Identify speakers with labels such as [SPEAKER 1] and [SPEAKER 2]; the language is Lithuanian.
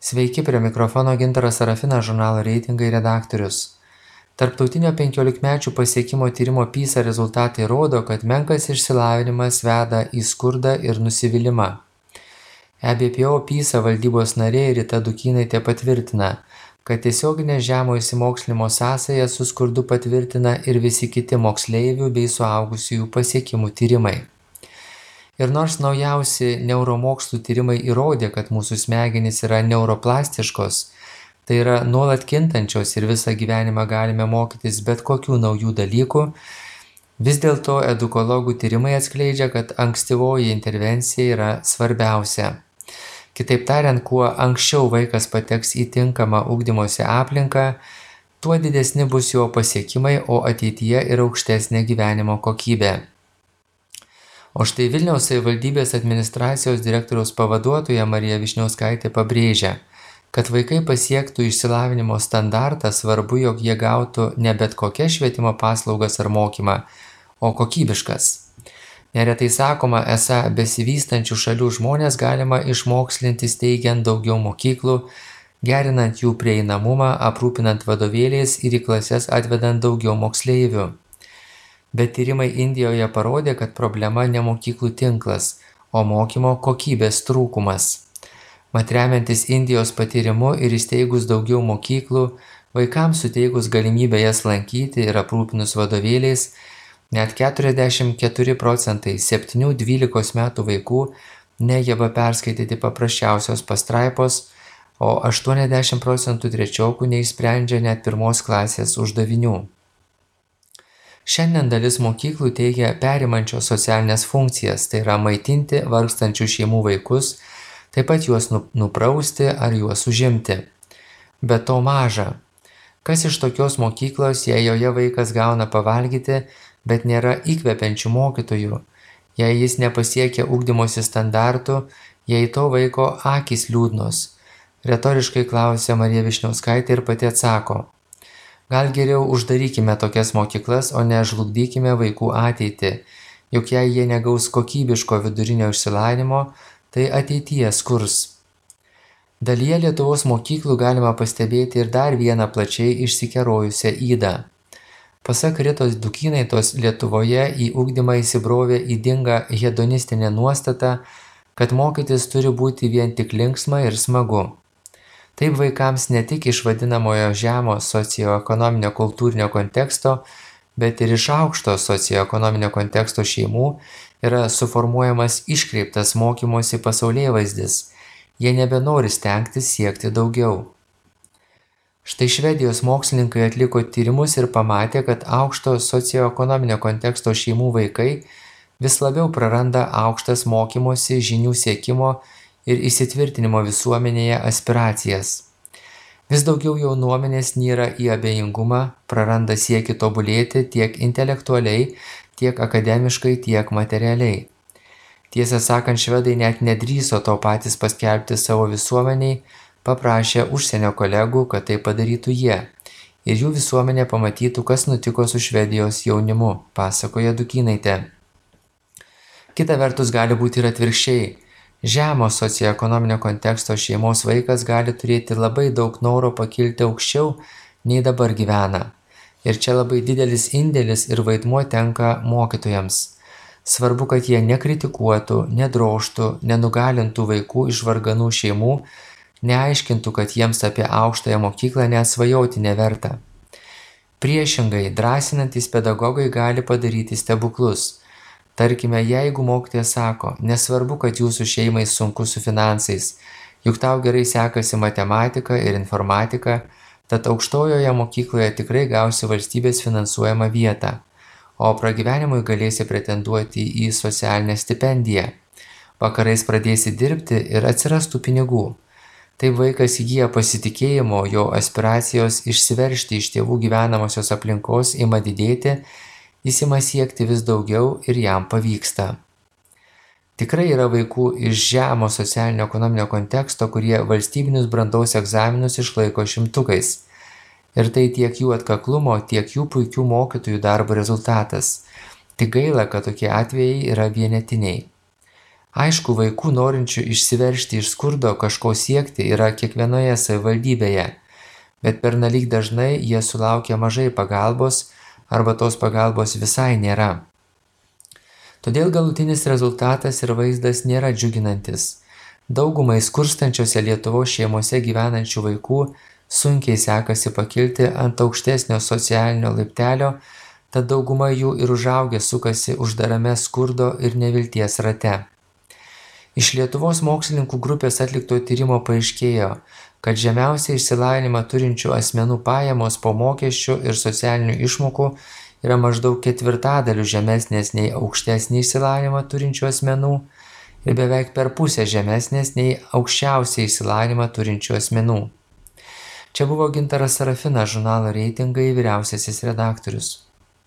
[SPEAKER 1] Sveiki, prie mikrofono Gintaras Sarafinas, žurnalo reitingai redaktorius. Tarptautinio 15-mečių pasiekimo tyrimo PISA rezultatai rodo, kad menkas išsilavinimas veda į skurdą ir nusivylimą. EBPO PISA valdybos narė Rita Dukynaitė patvirtina, kad tiesioginė žemo išsimokslinimo sąsaja su skurdu patvirtina ir visi kiti moksleivių bei suaugusiųjų pasiekimų tyrimai. Ir nors naujausi neuromokslų tyrimai įrodė, kad mūsų smegenys yra neuroplastiškos, tai yra nuolat kintančios ir visą gyvenimą galime mokytis bet kokių naujų dalykų, vis dėlto edukologų tyrimai atskleidžia, kad ankstyvoji intervencija yra svarbiausia. Kitaip tariant, kuo anksčiau vaikas pateks į tinkamą ugdymosi aplinką, tuo didesni bus jo pasiekimai, o ateityje ir aukštesnė gyvenimo kokybė. O štai Vilniaus savivaldybės administracijos direktoriaus pavaduotoja Marija Vyšniauskaitė pabrėžia, kad vaikai pasiektų išsilavinimo standartą, svarbu, jog jie gautų ne bet kokias švietimo paslaugas ar mokymą, o kokybiškas. Neretai sakoma, esą besivystančių šalių žmonės galima išmokslinti steigiant daugiau mokyklų, gerinant jų prieinamumą, aprūpinant vadovėliais ir į klases atvedant daugiau moksleivių. Bet tyrimai Indijoje parodė, kad problema ne mokyklų tinklas, o mokymo kokybės trūkumas. Mat remiantis Indijos patyrimu ir įsteigus daugiau mokyklų, vaikams suteikus galimybę jas lankyti ir aprūpinus vadovėliais, net 44% 7–12 metų vaikų negeba perskaityti paprasčiausios pastraipos, o 80% trečiokų neišsprendžia net pirmos klasės uždavinių. Šiandien dalis mokyklų teigia perimančios socialinės funkcijas, tai yra maitinti vargstančių šeimų vaikus, taip pat juos nuprausti ar juos užimti. Bet to maža. Kas iš tokios mokyklos, jei joje vaikas gauna pavalgyti, bet nėra įkvepiančių mokytojų, jei jis nepasiekia ugdymosi standartų, jei to vaiko akys liūdnos? Retoriškai klausia Marija Vyšniauskaitė ir pati atsako. Gal geriau uždarykime tokias mokyklas, o ne žlugdykime vaikų ateitį, juk jei jie negaus kokybiško vidurinio išsilavinimo, tai ateityje skurs. Dalyje Lietuvos mokyklų galima pastebėti ir dar vieną plačiai išsikerojusią ydą. Pasak Ritos Dukynaitos, Lietuvoje į ugdymą įsibrovė ydinga hedonistinė nuostata, kad mokytis turi būti vien tik linksma ir smagu. Taip vaikams ne tik iš vadinamojo žemo socioekonominio kultūrinio konteksto, bet ir iš aukšto socioekonominio konteksto šeimų yra suformuojamas iškreiptas mokymosi pasaulėvaizdis. Jie nebenori stengtis siekti daugiau. Štai Švedijos mokslininkai atliko tyrimus ir pamatė, kad aukšto socioekonominio konteksto šeimų vaikai vis labiau praranda aukštas mokymosi, žinių siekimo ir įsitvirtinimo visuomenėje aspiracijas. Vis daugiau jaunuomenės nyra į abejingumą, praranda siekį tobulėti tiek intelektualiai, tiek akademiškai, tiek materialiai. Tiesą sakant, švedai net nedrįso to patys paskelbti savo visuomeniai, paprašė užsienio kolegų, kad tai padarytų jie, ir jų visuomenė pamatytų, kas nutiko su Švedijos jaunimu, pasakoja Dukynaitė. Kita vertus gali būti ir atvirkščiai. Žemo socioekonominio konteksto šeimos vaikas gali turėti labai daug noro pakilti aukščiau, nei dabar gyvena. Ir čia labai didelis indėlis ir vaidmuo tenka mokytojams. Svarbu, kad jie nekritikuotų, nedrožtų, nenugalintų vaikų iš varganų šeimų, neaiškintų, kad jiems apie aukštąją mokyklą net svajoti neverta. Priešingai, drąsinantys pedagogai gali padaryti stebuklus. Tarkime, jeigu mokytojas sako, nesvarbu, kad jūsų šeimai sunku su finansais, juk tau gerai sekasi matematika ir informatika, tad aukštojoje mokykloje tikrai gausi valstybės finansuojamą vietą, o pragyvenimui galėsi pretenduoti į socialinę stipendiją. Vakarais pradėsi dirbti ir atsirastų pinigų. Taip vaikas įgyja pasitikėjimo, jo aspiracijos išsiveržti iš tėvų gyvenamosios aplinkos ima didėti, jis ima siekti vis daugiau ir jam pavyksta. Tikrai yra vaikų iš žemo socialinio ekonominio konteksto, kurie valstybinius brandos egzaminus išlaiko šimtukais. Ir tai tiek jų atkaklumo, tiek jų puikių mokytojų darbo rezultatas. Tik gaila, kad tokie atvejai yra vienetiniai. Aišku, vaikų norinčių išsiveržti iš skurdo kažko siekti yra kiekvienoje savivaldybėje, bet pernelyg dažnai jie sulaukia mažai pagalbos arba tos pagalbos visai nėra. Todėl galutinis rezultatas ir vaizdas nėra džiuginantis. Daugumai skurstančiose Lietuvos šeimose gyvenančių vaikų sunkiai sekasi pakilti ant aukštesnio socialinio laiptelio, tad dauguma jų ir užaugę sukasi uždarame skurdo ir nevilties rate. Iš Lietuvos mokslininkų grupės atlikto tyrimo paaiškėjo, kad žemiausią išsilavinimą turinčių asmenų pajamos po mokesčių ir socialinių išmokų yra maždaug ketvirtadaliu žemesnės nei aukštesnį išsilavinimą turinčių asmenų ir beveik per pusę žemesnės nei aukščiausią išsilavinimą turinčių asmenų. Čia buvo Gintaras Sarafinas, žurnalo Reitingai vyriausiasis redaktorius.